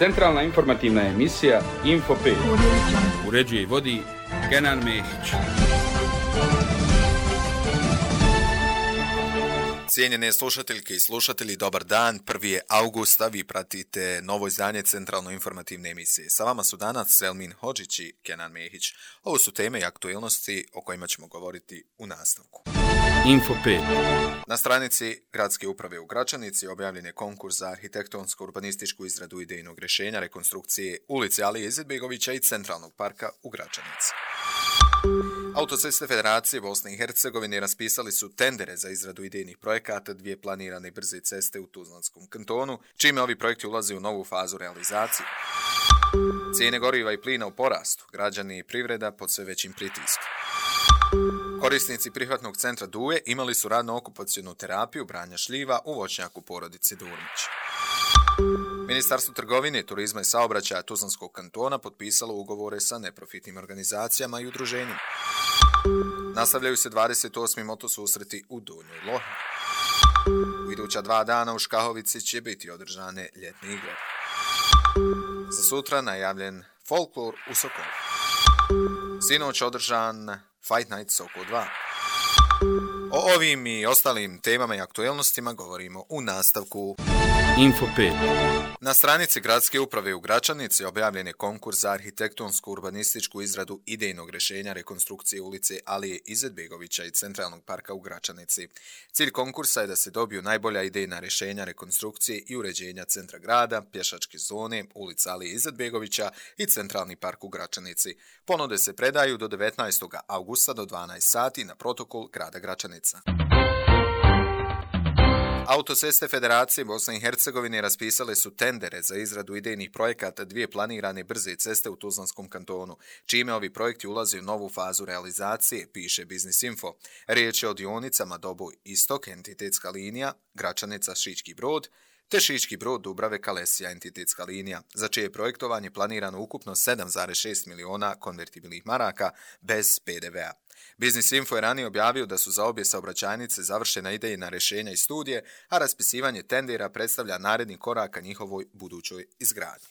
Centralna informativna emisija Info 5. Uređuje i vodi Kenan Mehić. Cijenjene slušateljke i slušatelji, dobar dan. 1. augusta, vi pratite novo izdanje Centralno informativne emisije. Sa vama su danas Selmin Hodžić i Kenan Mehić. Ovo su teme i aktualnosti o kojima ćemo govoriti u nastavku. Info 5. Na stranici Gradske uprave u Gračanici objavljen je konkurs za arhitektonsko-urbanističku izradu idejnog rješenja rekonstrukcije ulice Alije Izetbegovića i Centralnog parka u Gračanici. Autoceste Federacije Bosne i Hercegovine raspisali su tendere za izradu idejnih projekata dvije planirane brze ceste u Tuzlanskom kantonu, čime ovi projekti ulaze u novu fazu realizacije. Cijene goriva i plina u porastu, građani i privreda pod sve većim pritiskom. Korisnici prihvatnog centra Duje imali su radno-okupacionu terapiju branja šljiva u voćnjaku porodice Durmić. Ministarstvo trgovine, turizma i saobraćaja Tuzlanskog kantona potpisalo ugovore sa neprofitnim organizacijama i udruženjima. Nastavljaju se 28. motosusreti u Donjoj Lohni. U iduća 2 dana u Škahovici će biti održane ljetne igre. Za sutra najavljen folklor u Sokolu. Sinoć održan Fight Night Sokol 2. O ovim i ostalim temama i aktualnostima govorimo u nastavku. Info 5. Na stranici Gradske uprave u Gračanici objavljen je konkurs za arhitektonsko-urbanističku izradu idejnog rješenja rekonstrukcije ulice Alije Izetbegovića i Centralnog parka u Gračanici. Cilj konkursa je da se dobiju najbolja idejna rješenja rekonstrukcije i uređenja centra grada, pješačke zone, ulica Alije Izetbegovića i Centralni park u Gračanici. Ponude se predaju do 19. augusta do 12 sati na protokol grada Gračanica. Autoceste Federacije Bosne i Hercegovine raspisale su tendere za izradu idejnih projekata dvije planirane brze ceste u Tuzlanskom kantonu, čime ovi projekti ulaze u novu fazu realizacije, piše Biznis Info. Riječ je o dionicama Doboj Istok, entitetska linija, Gračanica Šički Brod, te Šički Brod Dubrave Kalesija, entitetska linija, za čije je projektovanje planirano ukupno 7,6 miliona konvertibilnih maraka bez PDV-a. Biznis Info je ranije objavio da su za obje saobraćajnice završena idejna rješenja i studije, a raspisivanje tendera predstavlja naredni korak ka njihovoj budućoj izgradnji.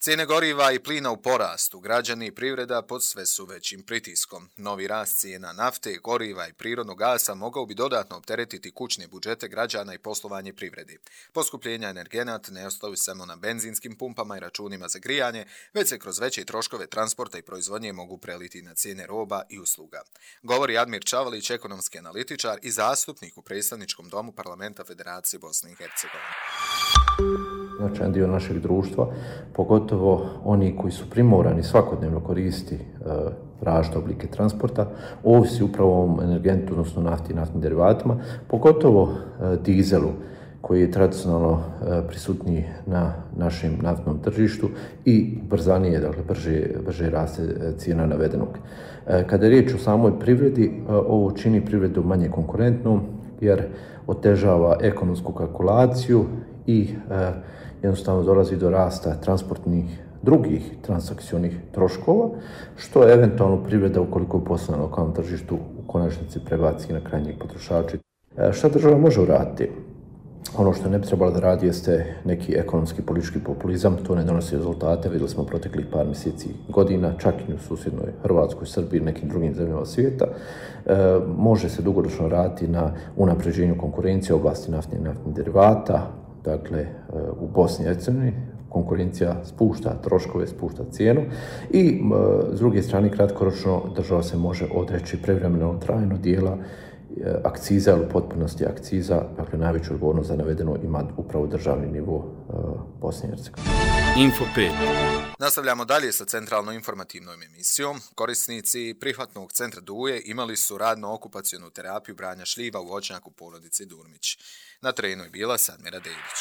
Cijene goriva i plina u porastu, građani i privreda pod sve su većim pritiskom. Novi rast cijena nafte, goriva i prirodnog gasa mogao bi dodatno opteretiti kućne budžete građana i poslovanje privredi. Poskupljenja energenata ne ostaju samo na benzinskim pumpama i računima za grijanje, već se kroz veće troškove transporta i proizvodnje mogu preliti na cijene roba i usluga. Govori Admir Čavalić, ekonomski analitičar i zastupnik u predstavničkom domu Parlamenta Federacije Bosne i Hercegovine. Značajan dio našeg društva, pogotovo oni koji su primorani svakodnevno koristiti različite oblike transporta, ovisi upravo o ovom energentu, odnosno nafti i naftnim derivatima, pogotovo dizelu koji je tradicionalno prisutniji na našem naftnom tržištu i brzanije, dakle brže raste cijena navedenog. Kada je riječ o samoj privredi, ovo čini privredu manje konkurentnom jer otežava ekonomsku kalkulaciju i jednostavno dolazi do rasta transportnih drugih transakcionih troškova, što eventualno privreda ukoliko je poslovna na lokalnom tržištu u konačnici prebaci na krajnjeg potrošača. Šta država može uraditi? Ono što ne bi trebalo da radi jeste neki ekonomski politički populizam, to ne donosi rezultate, vidjeli smo proteklih par mjeseci godina, čak i u susjednoj Hrvatskoj, Srbiji i nekim drugim zemljama svijeta. Može se dugoročno raditi na unapređenju konkurencije u oblasti naftnih i naftnih derivata. Dakle, u Bosni i Hercegovini konkurencija spušta troškove, spušta cijenu i s druge strane kratkoročno država se može odreći privremeno trajno dijela akciza ili potpunosti akciza, dakle najveću odgovornost za navedeno ima upravo državni nivo Bosne i Hercegovine. Info 5. Nastavljamo dalje sa centralno informativnom emisijom. Korisnici prihvatnog centra Duje imali su radno-okupacionu terapiju branja šljiva u voćnjaku porodice Durmić. Na terenu je bila Sadmira Dedić.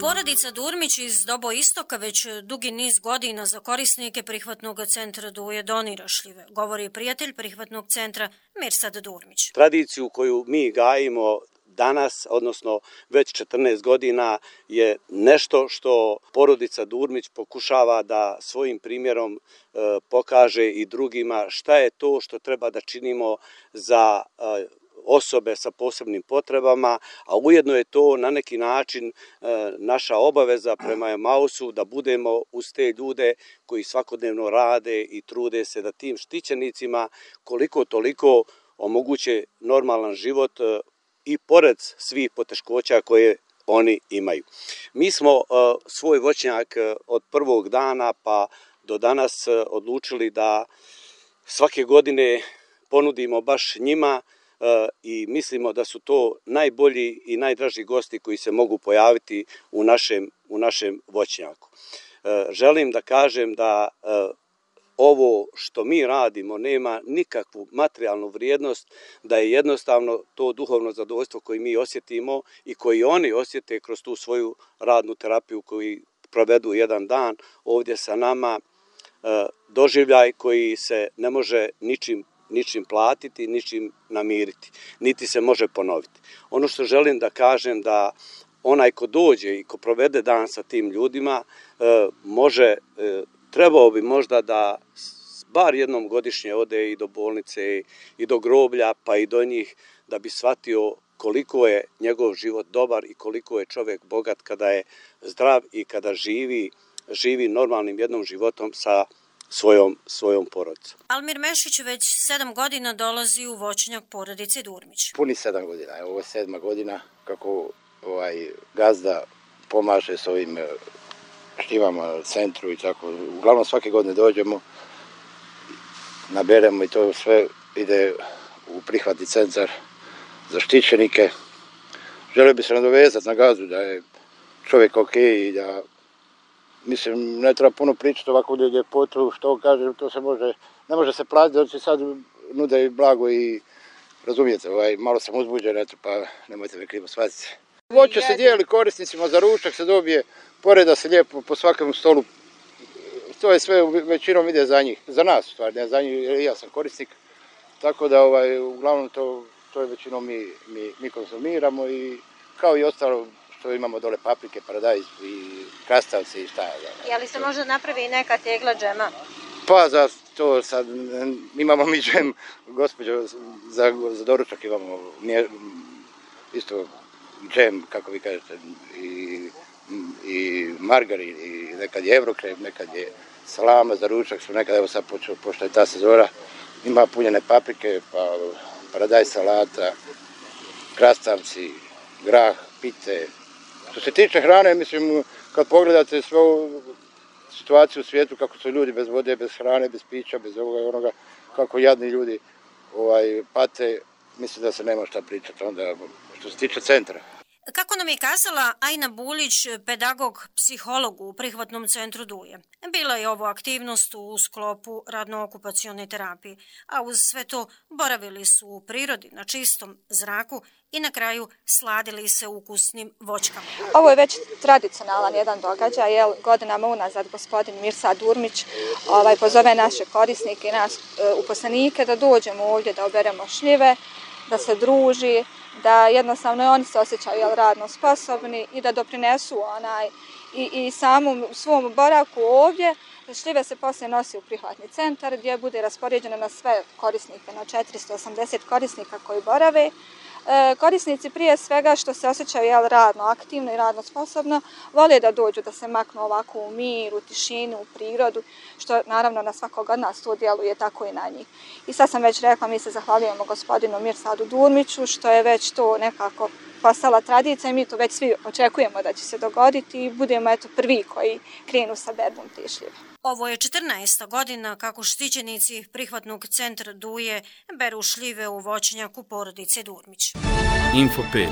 Porodica Durmić iz Doboj Istoka već dugi niz godina za korisnike prihvatnog centra Duje donira šljive, govori prijatelj prihvatnog centra Mirsad Durmić. Tradiciju koju mi gajimo danas, odnosno već 14 godina, je nešto što porodica Durmić pokušava da svojim primjerom pokaže i drugima šta je to što treba da činimo za osobe sa posebnim potrebama, a ujedno je to na neki način naša obaveza prema Emausu da budemo uz te ljude koji svakodnevno rade i trude se da tim štićenicima koliko toliko omoguće normalan život i pored svih poteškoća koje oni imaju. Mi smo svoj voćnjak od prvog dana pa do danas odlučili da svake godine ponudimo baš njima i mislimo da su to najbolji i najdraži gosti koji se mogu pojaviti u našem voćnjaku. Želim da kažem da ovo što mi radimo nema nikakvu materijalnu vrijednost, da je jednostavno to duhovno zadovoljstvo koje mi osjetimo i koji oni osjete kroz tu svoju radnu terapiju koju provedu jedan dan ovdje sa nama, doživljaj koji se ne može ničim platiti, ničim namiriti, niti se može ponoviti. Ono što želim da kažem da onaj ko dođe i ko provede dan sa tim ljudima trebao bi možda da bar jednom godišnje ode i do bolnice i do groblja pa i do njih da bi shvatio koliko je njegov život dobar i koliko je čovjek bogat kada je zdrav i kada živi normalnim jednom životom sa svojom porodicom. Almir Mešić već 7 godina dolazi u voćnjak porodice Durmić. Puni 7 godina, ovo je 7. godina kako gazda pomaže s ovim štivama na centru i tako. Uglavnom svake godine dođemo, naberemo i to sve ide u prihvatni centar za štićenike. Želio bi se nadovezati na gazdu da je čovjek ok i da, mislim, ne treba puno pričati ovako ljepotu, što kaže, to se ne može se platiti, da će sad nude i blago i razumijete, malo sam uzbuđen, eto, pa nemojte me krivo shvatiti. Voće se dijeli korisnicima, za ručak se dobije, poreda se lijepo po svakom stolu, to je sve većinom ide za njih, za nas stvar, ne za njih, jer ja sam korisnik, tako da uglavnom to je većinom mi konzumiramo i kao i ostalo što imamo dole paprike, paradajz i krastavci i šta je. Je li se možda napravi neka tegla džema? Pa za to sad imamo mi džem, gospođo, za doručak imamo isto džem, kako vi kažete, i margarin, i nekad je evrokrem, nekad je salama za ručak, smo nekad, evo sad pošto je ta sezona, ima punjene paprike, pa paradajz salata, krastavci, grah, pite. Što se tiče hrane, mislim, kad pogledate svu situaciju u svijetu, kako su ljudi bez vode, bez hrane, bez pića, bez ovoga i onoga, kako jadni ljudi pate, mislim da se nema šta pričati onda što se tiče centra. Kako nam je kazala Ajna Bulić, pedagog, psiholog u prihvatnom centru Duje, bila je ovo aktivnost u sklopu radno-okupacione terapije, a uz sve to boravili su u prirodi, na čistom zraku i na kraju sladili se ukusnim voćkama. Ovo je već tradicionalan jedan događaj, godinama unazad gospodin Mirsad Durmić pozove naše korisnike i nas uposlenike da dođemo ovdje da oberemo šljive, da se druži, da jednostavno oni se osjećaju radno sposobni i da doprinesu i samom svom boravku ovdje. Šljive se poslije nosi u prihvatni centar gdje bude raspoređeno na sve korisnike, na 480 korisnika koji borave. Korisnici prije svega što se osjećaju radno aktivno i radno sposobno, vole da dođu da se maknu ovako u mir, u tišinu, u prirodu, što naravno na svakog od nas to djeluje tako i na njih. I sad sam već rekla, mi se zahvaljujemo gospodinu Mirsadu Durmiću što je već to nekako postala tradicija i mi to već svi očekujemo da će se dogoditi i budemo prvi koji krenu sa berbom te šljive. Ovo je 14. godina kako štićenici prihvatnog centra Duje beru šljive u voćnjaku porodice Durmić. Info 5.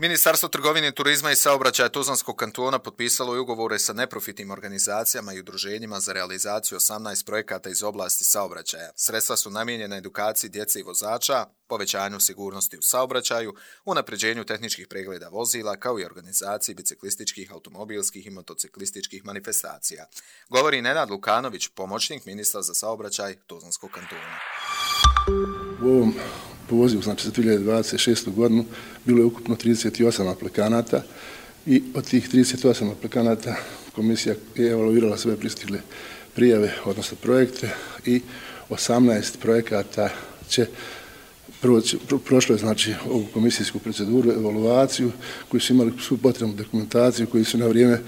Ministarstvo trgovine, turizma i saobraćaja Tuzlanskog kantona potpisalo je ugovore sa neprofitnim organizacijama i udruženjima za realizaciju 18 projekata iz oblasti saobraćaja. Sredstva su namijenjena edukaciji djece i vozača, povećanju sigurnosti u saobraćaju, unapređenju tehničkih pregleda vozila, kao i organizaciji biciklističkih, automobilskih i motociklističkih manifestacija. Govori Nenad Lukanović, pomoćnik ministra za saobraćaj Tuzlanskog kantona. U ovom pozivu, znači za 2026. godinu, bilo je ukupno 38 aplikanata i od tih 38 aplikanata komisija je evaluirala sve pristigle prijave, odnosno projekte, i 18 projekata će prošlo je znači ovu komisijsku proceduru, evaluaciju, koji su imali svu potrebnu dokumentaciju, koji su na vrijeme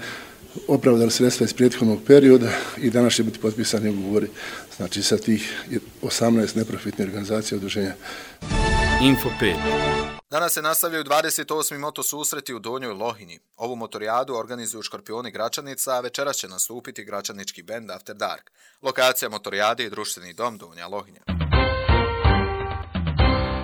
opravdali sredstva iz prethodnog perioda i danas će biti potpisani ugovori znači sa tih 18 neprofitnih organizacija udruženja. Info 5. Danas se nastavljaju 28. moto susreti u Donjoj Lohinji. Ovu motorijadu organizuju Škorpioni Gračanica, a večeras će nastupiti gračanički bend After Dark. Lokacija motorijade je društveni dom Donja Lohinja.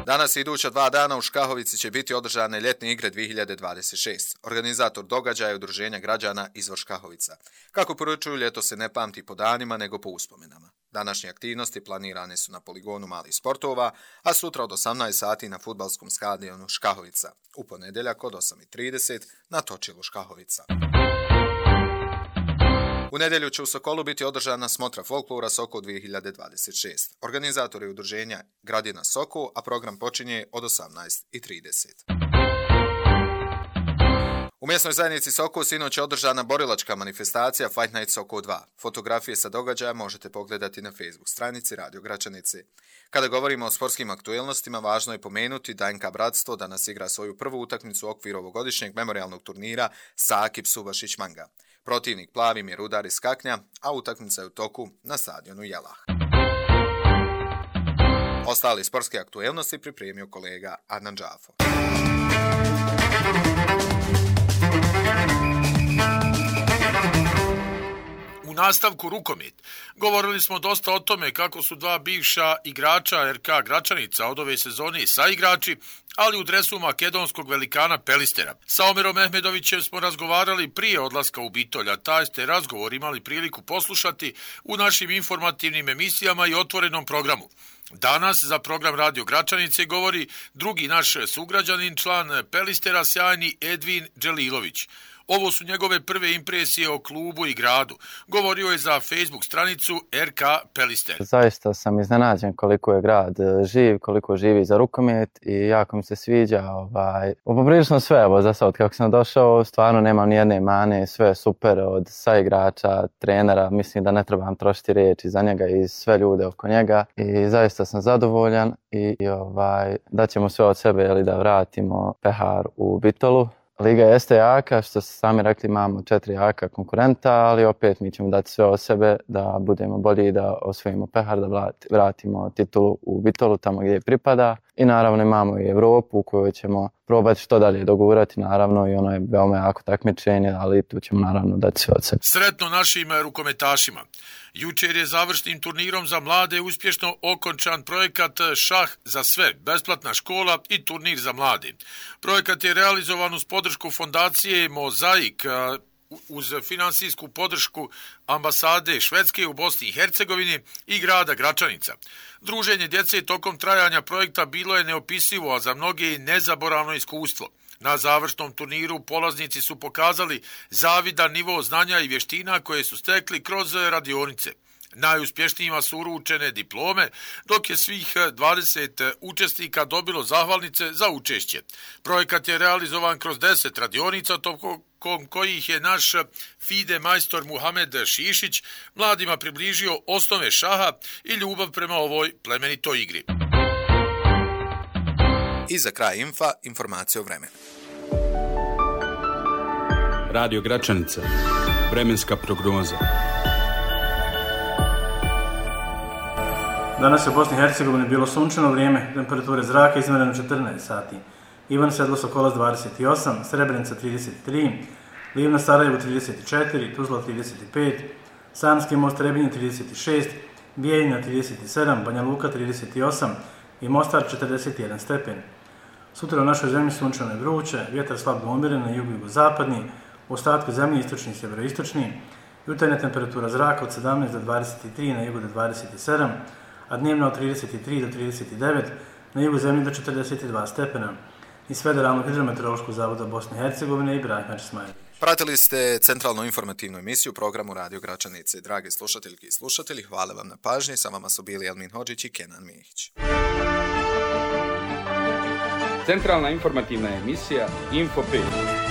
Danas i iduća 2 dana u Škahovici će biti održane ljetne igre 2026. Organizator događaja je Udruženja građana Izvor Škahovica. Kako poručuju, ljeto se ne pamti po danima nego po uspomenama. Današnje aktivnosti planirane su na poligonu malih sportova, a sutra od 18 sati na fudbalskom stadionu Škahovica. U ponedjeljak od 8:30 na točilu Škahovica. U nedjelju će u Sokolu biti održana smotra folklora Sokol 2026. Organizator je udruženja Gradina Sokol, a program počinje od 18:30. U mjesnoj zajednici Sokol sinoć je održana borilačka manifestacija Fight Night Sokol 2. Fotografije sa događaja možete pogledati na Facebook stranici Radio Gračanice. Kada govorimo o sportskim aktuelnostima, važno je pomenuti da NK Bratstvo danas igra svoju prvu utakmicu u okviru ovogodišnjeg memorijalnog turnira Sakip Subašić Manga. Protivnik Plavim je Rudar iz Kaknja, a utakmica je u toku na stadionu Jelah. Ostali sportske aktuelnosti pripremio kolega Adnan Džafo. U nastavku rukomet. Govorili smo dosta o tome kako su 2 bivša igrača RK Gračanica od ove sezone saigrači, ali u dresu makedonskog velikana Pelistera. Sa Omerom Mehmedovićem smo razgovarali prije odlaska u Bitolj, a taj ste razgovor imali priliku poslušati u našim informativnim emisijama i otvorenom programu. Danas za program Radio Gračanice govori drugi naš sugrađanin, član Pelistera, sjajni Edvin Dželilović. Ovo su njegove prve impresije o klubu i gradu. Govorio je za Facebook stranicu RK Pelister. Zaista sam iznenađen koliko je grad živ, koliko živi za rukomet i jako mi se sviđa. Poprilično sve, za sad kako sam došao, stvarno nemam ni jedne mane, sve je super od saigrača, trenera, mislim da ne trebam trošiti riječi za njega i sve ljude oko njega i zaista sam zadovoljan i da ćemo sve od sebe da vratimo pehar u Bitolu. Liga jeste jaka, što ste sami rekli, imamo 4 jaka konkurenta, ali opet mi ćemo dati sve od sebe da budemo bolji, da osvojimo pehar, da vratimo titulu u Bitolu tamo gdje pripada. I naravno imamo i Evropu u kojoj ćemo probati što dalje dogurati, naravno, i ono je veoma jako takmičenje, ali tu ćemo naravno dati sve od sebe. Sretno našim rukometašima. Jučer je završnim turnirom za mlade uspješno okončan projekat Šah za sve, besplatna škola i turnir za mlade. Projekat je realizovan uz podršku fondacije Mozaik, uz finansijsku podršku ambasade Švedske u Bosni i Hercegovini i grada Gračanica. Druženje djece tokom trajanja projekta bilo je neopisivo, a za mnoge i nezaboravno iskustvo. Na završnom turniru polaznici su pokazali zavidan nivo znanja i vještina koje su stekli kroz radionice. Najuspješnijima su uručene diplome, dok je svih 20 učesnika dobilo zahvalnice za učešće. Projekat je realizovan kroz 10 radionica, tokom kojih je naš FIDE majstor Muhamed Šišić mladima približio osnove šaha i ljubav prema ovoj plemenitoj igri. I za kraj informacija o vremenu. Radio Gračanica. Vremenska prognoza. Danas je u Bosni i Hercegovini bilo sunčano vrijeme, temperature zraka izmjerene 14 sati. Ivan Sedlo Sokolac 28, Srebrenica 33, Livna Sarajevo 34, Tuzla 35, Sanski most Trebinje 36, Bijeljina 37, Banja Luka 38 i Mostar 41 stepen. Sutra u našoj zemlji sunčano i vruće, vjetar slabo umiren na jugu i jugozapadni, u ostatku zemlje istočni i sjeveroistočni, jutarnja temperatura zraka od 17 do 23, na jugu do 27, a dnevno od 33 do 39, na jugu zemlje do 42 stepena. Iz Federalnog hidrometeorološkog zavoda Bosne i Hercegovine i Ibrahim Česmajević. Pratili ste centralnu informativnu emisiju u programu Radio Gračanice. Drage slušateljke i slušatelji, hvala vam na pažnji. Sa vama su bili Elmin Hodžić i Kenan Mihić. Centralna informativna emisija Info 5.